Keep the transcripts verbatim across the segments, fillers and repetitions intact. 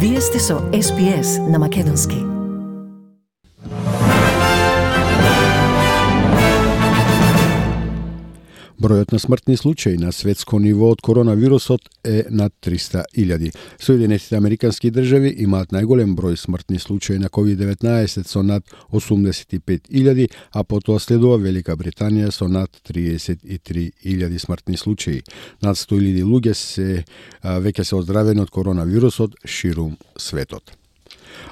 Вие сте со Ес Би Ес на Македонски. Бројот на смртни случаи на светско ниво од коронавирусот е над триста илјади. Соединетите американски држави имаат најголем број смртни случаи на ковид деветнаесет со над осумдесет и пет илјади, а потоа следува Велика Британија со над триесет и три илјади смртни случаи. Над сто илјади луѓе се веќе се оздравени од коронавирусот ширум светот.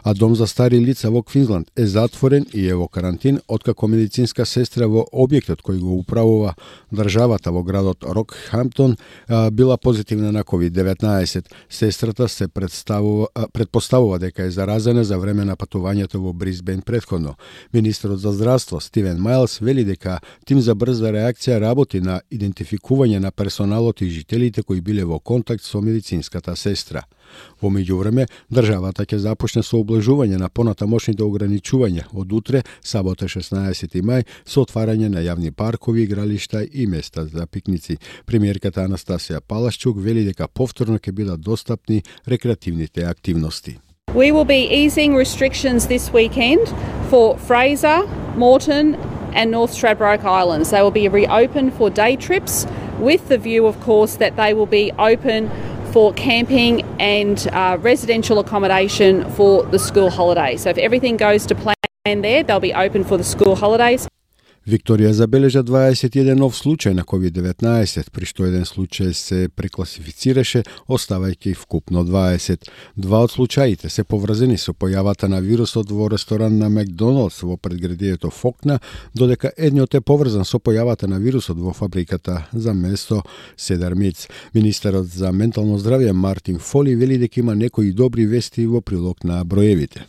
А дом за стари лица во Квинсленд е затворен и е во карантин откако медицинска сестра во објектот кој го управува државата во градот Рокхамптон била позитивна на ковид деветнаесет. Сестрата се представува, предпоставува дека е заразена за време на патувањето во Брисбен претходно. Министерот за здравство Стивен Мајлс вели дека тим за брза реакција работи на идентификување на персоналот и жителите кои биле во контакт со медицинската сестра. Во меѓувреме, државата ќе започне со облажување на понатамошните ограничувања од утре, сабота шеснаесети мај, со отварање на јавни паркови, игралишта и места за пикници. Премиерката Анастасија Палашчук вели дека повторно ќе бидат достапни рекреативните активности. We will be easing restrictions this weekend for Fraser, Moreton and North Stradbroke Islands. They will be reopened for day trips with the view, of course, that they will be open for camping and uh, residential accommodation for the school holidays. So if everything goes to plan there, they'll be open for the school holidays. Викторија забележа дваесет и еден нов случај на ковид деветнаесет, при што еден случај се прекласифицираше, оставајќи вкупно дваесет. Два од случаите се поврзани со појавата на вирусот во ресторан на Макдоналдс во предградието Фокна, додека едниот е поврзан со појавата на вирусот во фабриката за месо Седар Митс. Министерот за ментално здравје Мартин Фоли вели дека има некои добри вести во прилог на броевите.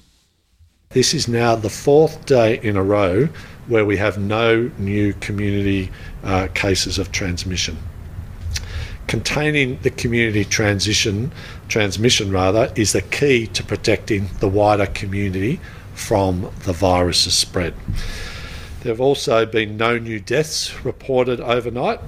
This is now the fourth day in a row where we have no new community uh, cases of transmission. Containing the community transition, transmission rather, is the key to protecting the wider community from the virus's spread. There have also been no new deaths reported overnight.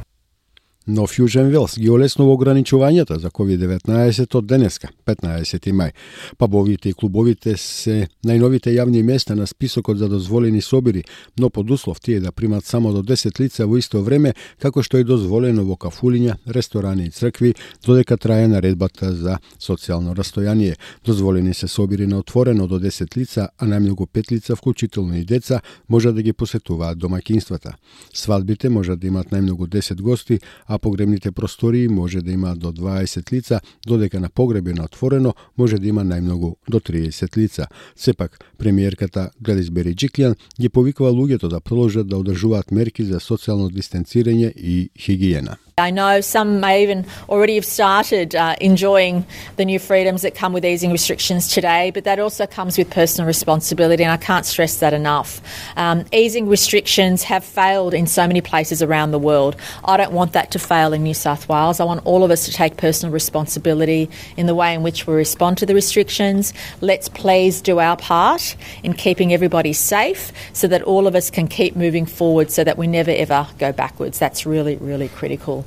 Но Фјужен Велс ги олеснува ограничувањата за ковид деветнаесет од денеска, петнаесети мај. Пабовите и клубовите се најновите јавни места на списокот за дозволени собири, но под услов тие да примат само до десет лица во исто време, како што е дозволено во кафулиња, ресторани и цркви, додека трае наредбата за социјално растојание. Дозволени се собири на отворено до десет лица, а најмногу пет лица, вклучително и деца, може да ги посетуваат домаќинствата. Свадбите може да имат најмногу десет гости, а погребните простории може да има до дваесет лица, додека на погреби на отворено може да има најмногу до триесет лица. Сепак, премиерката Гледис Береџиклјан ги повикува луѓето да продолжат да одржуваат мерки за социјално дистанцирање и хигиена. I know some may even already have started uh, enjoying the new freedoms that come with easing restrictions today, but that also comes with personal responsibility, and I can't stress that enough. Um, easing restrictions have failed in so many places around the world. I don't want that to fail in New South Wales. I want all of us to take personal responsibility in the way in which we respond to the restrictions. Let's please do our part in keeping everybody safe so that all of us can keep moving forward so that we never ever go backwards. That's really, really critical.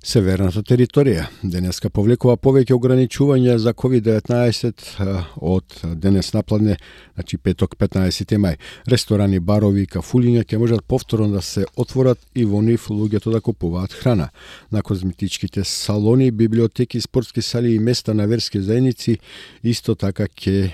Северната територија денеска повлекува повеќе ограничувања за ковид деветнаесет од денес напладне, значи петок петнаесети мај. Ресторани, барови и кафулиња ќе можат повторно да се отворат и во нив луѓето да купуваат храна. На козметичките салони, библиотеки, спортски сали и места на верски заедници исто така ќе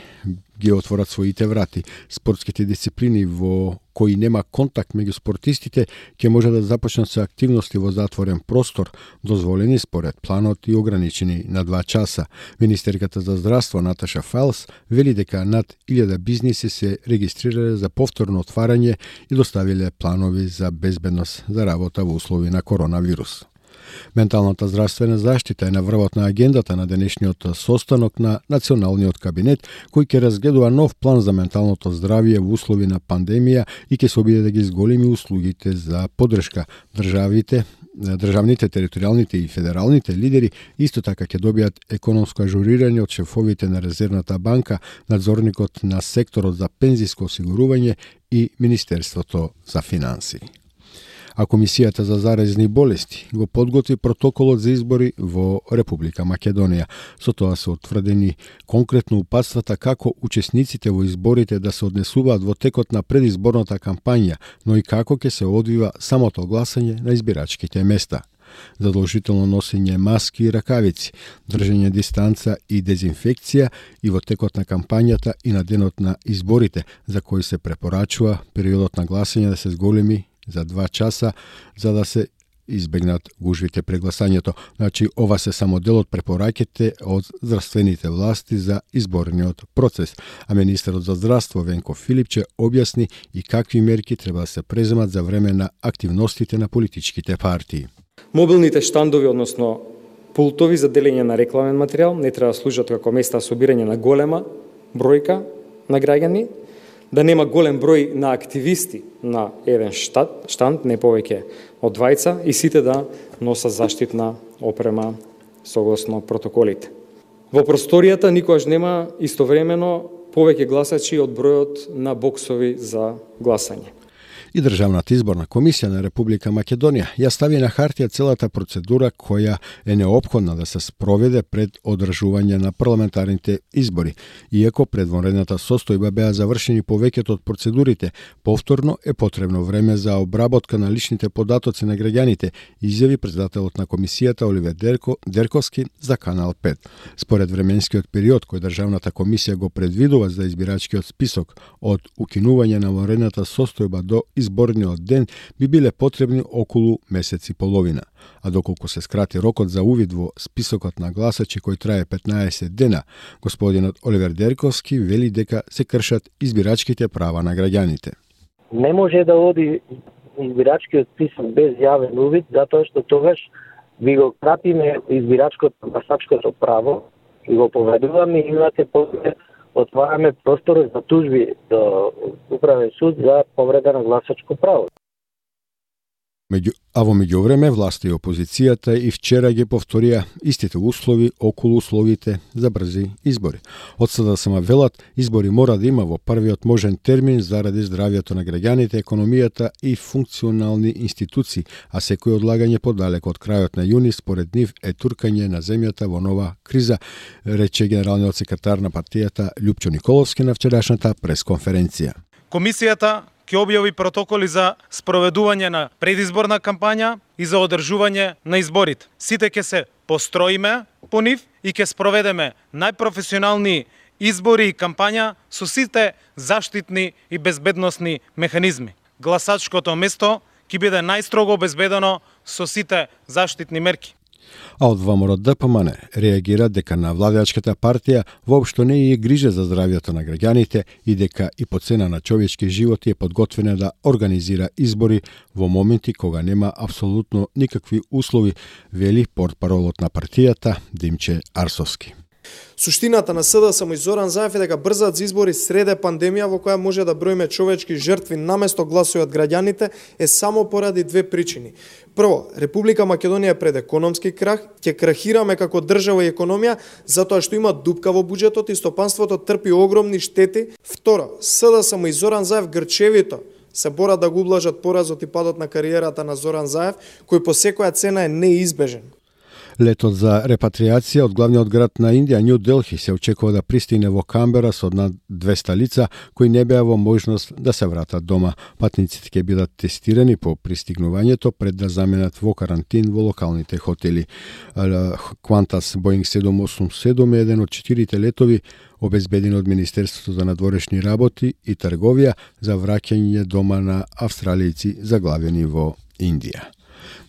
ги отворат своите врати. Спортските дисциплини во кои нема контакт меѓу спортистите ќе може да започнат со активности во затворен простор, дозволени според планот и ограничени на два часа. Министерката за здравство Наташа Файлс вели дека над илјада бизниси се регистрирале за повторно отварање и доставиле планови за безбедност за работа во услови на коронавирус. Менталната здравствена заштита е на врвот на агендата на денешниот состанок на Националниот кабинет, кој ќе разгледува нов план за менталното здравје во услови на пандемија и ќе се обиде да ги зголеми услугите за поддршка. Државите, државните, територијалните и федералните лидери исто така ќе добијат економско ажурирање од шефовите на Резервната банка, надзорникот на секторот за пензиско осигурување и Министерството за финансии. а Комисијата за заразни болести го подготви протоколот за избори во Република Македонија. Со тоа се утврдени конкретно упатствата како учесниците во изборите да се однесуваат во текот на предизборната кампања, но и како ќе се одвива самото гласање на избирачките места. Задолжително носење маски и ракавици, држење дистанца и дезинфекција и во текот на кампањата и на денот на изборите, за кои се препорачува периодот на гласање да се зголеми за два часа, за да се избегнат гужвите при гласањето. Значи, ова се само дел од препораките од здравствените власти за изборниот процес. А министерот за здравство Венко Филипче објасни и какви мерки треба да се преземат за време на активностите на политичките партии. Мобилните штандови, односно пултови за делење на рекламен материјал, не треба да служат како места за собирање на голема бројка на граѓани, да нема голем број на активисти на еден штат, штанд, не повеќе од двајца, и сите да носат заштитна опрема согласно протоколите. Во просторијата никогаш нема истовремено повеќе гласачи од бројот на боксови за гласање. И Државната изборна комисија на Република Македонија ја стави на хартија целата процедура која е неопходна да се спроведе пред одржување на парламентарните избори. Иако пред вонредната состојба беа завршени повеќето од процедурите, повторно е потребно време за обработка на личните податоци на граѓаните, изјави председателот на комисијата Оливер Дерко, Дерковски за Канал пет. Според временскиот период кој Државната комисија го предвидува за избирачкиот список од укинување на вонредната состојба до изборниот ден би биле потребни околу месец и половина. А доколку се скрати рокот за увид во списокот на гласачи кој трае петнаесет дена, господинот Оливер Дерковски вели дека се кршат избирачките права на граѓаните. Не може да оди избирачкиот список без јавен увид, затоа што тогаш ви го кратиме избирачкото гласачкото право и го поведуваме и имате после отвараме простор за тужби до Управен суд за повреда на гласачко право. Меѓу, а во меѓувреме власта и опозицијата и вчера ги повторија истите услови околу условите за брзи избори. Од СДСМ велат, избори мора да има во првиот можен термин заради здравјето на граѓаните, економијата и функционални институции, а секој одлагање подалек од крајот на јуни според нив е туркање на земјата во нова криза, рече генералниот секретар на партијата Љупчо Николовски на вчерашната пресконференција. Комисијата ќе објави протоколи за спроведување на предизборна кампања и за одржување на изборите. Сите ќе се построиме по нив и ќе спроведеме најпрофесионални избори и кампања со сите заштитни и безбедносни механизми. Гласачкото место ќе биде најстрого обезбедено со сите заштитни мерки. А од ВМРО Д П М Н реагира дека на владеачката партија воопшто не е грижа за здравјето на граѓаните и дека и по цена на човечки животи е подготвена да организира избори во моменти кога нема апсолутно никакви услови, вели портпаролот на партијата Димче Арсовски. Суштината на СДСМ и Зоран Заев е дека брзат за избори среде пандемија во која може да броиме човечки жртви наместо гласови од граѓаните е само поради две причини. Прво, Република Македонија е пред економски крах, ќе крахираме како држава и економија затоа што има дупка во буџетот и стопанството трпи огромни штети. Второ, СДСМ и Зоран Заев грчевито се борат да го ублажат поразот и падот на кариерата на Зоран Заев, кој по секоја цена е неизбежен. Летот за репатриација од главниот град на Индија, Нью Делхи, се очекува да пристигне во Камбера со над двеста лица кои не беа во можност да се вратат дома. Патниците ќе бидат тестирани по пристигнувањето пред да заменат во карантин во локалните хотели. Qantas Boeing седум осум седум е еден од четирите летови обезбедени од Министерството за надворешни работи и трговија за враќање дома на австралијци заглавени во Индија.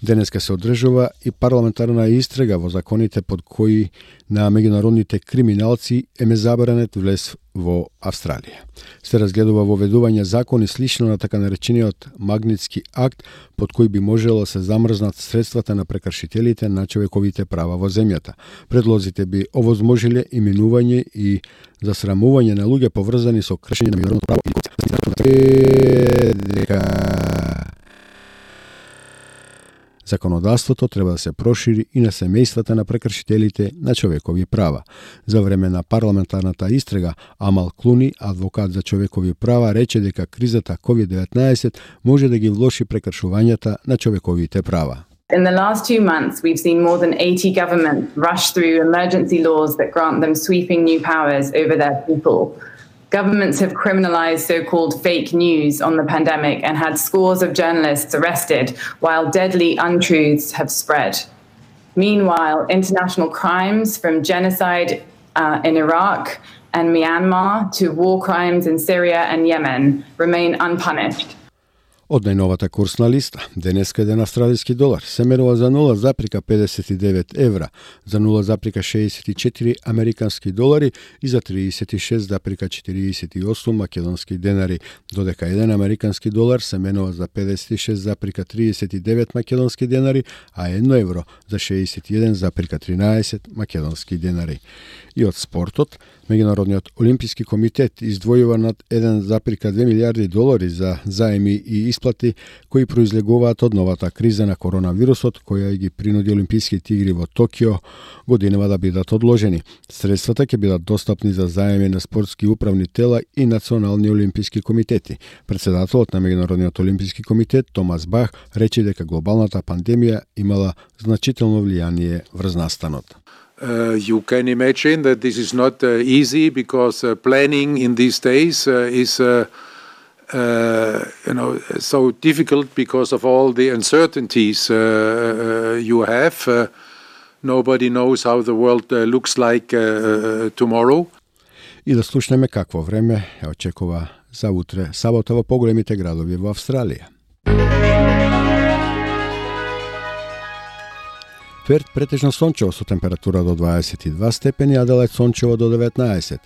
Денеска се одржува и парламентарна истрага во законите под кои на меѓународните криминалци е забранет влез во Австралија. Се разгледува воведување закони слично на така наречениот Магнитски акт, под кој би можело да се замрзнат средствата на прекршителите на човековите права во земјата. Предлозите би овозможиле именување и засрамување на луѓе поврзани со кршење на меѓународното право и Законодавството треба да се прошири и на семејствата на прекршителите на човекови права. За време на парламентарната истрага, Амал Клуни, адвокат за човекови права, рече дека кризата ковид деветнаесет може да ги влоши прекршувањата на човековите права. In the last two months, we've seen more than eighty governments rush through emergency laws that grant them sweeping new powers over their people. Governments have criminalized so-called fake news on the pandemic and had scores of journalists arrested, while deadly untruths have spread. Meanwhile, international crimes from genocide uh, in Iraq and Myanmar to war crimes in Syria and Yemen remain unpunished. Од најновата курсна листа, денеска еден австралиски долар се мерува за нула запирка педесет и девет евра, за нула запирка шеесет и четири американски долари и за триесет и шест запирка четириесет и осум македонски денари, додека еден американски долар се менува за педесет и шест запирка триесет и девет македонски денари, а едно евро за шеесет и еден запирка тринаесет македонски денари. И од спортот, Меѓународниот олимписки комитет издвојува над еден запирка две милијарди долари за заеми и исплати кои произлегуваат од новата криза на коронавирусот, која ги принуди Олимписките игри во Токио годинава да бидат одложени. Средствата ќе бидат достапни за заеми на спортски управни тела и национални олимписки комитети. Председателот на Меѓународниот олимписки комитет Томас Бах рече дека глобалната пандемија имала значително влијание врз настанот. Uh, you can imagine that this is not uh, easy because uh, planning in these days uh, is uh, uh, you know, so difficult because of all the uncertainties uh, uh, you have. Uh, nobody knows how the world uh, looks like uh, tomorrow. И да слушнеме какво време ја очекува за утре, сабота во поголемите градови во Австралија. Перт претежно сончево со температура до дваесет и два степени, Аделајд сончево до деветнаесет,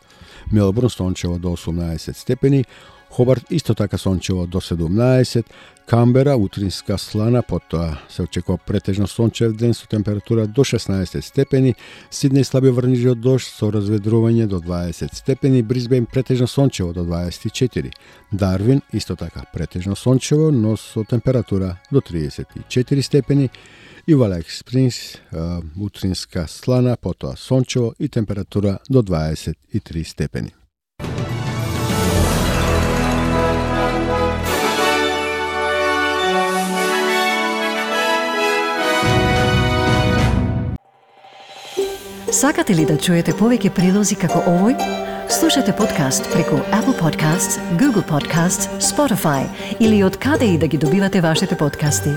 Мелбурн сончево до осумнаесет степени, Хобарт исто така сончево до седумнаесет, Камбера утринска слана, потоа се очекува претежно сончев ден со температура до шеснаесет степени, Сиднеј слаби врнежи од дожд со разведрување до дваесет степени, Брисбејн претежно сончево до дваесет и четири, Дарвин исто така претежно сончево, но со температура до триесет и четири степени, и во Алек Спрингс утринска слана, потоа сончево и температура до дваесет и три степени. Сакате ли да чуете повеќе прилози како овој? Слушате подкаст преку Apple Podcasts, Google Podcasts, Spotify или од каде и да ги добивате вашите подкасти.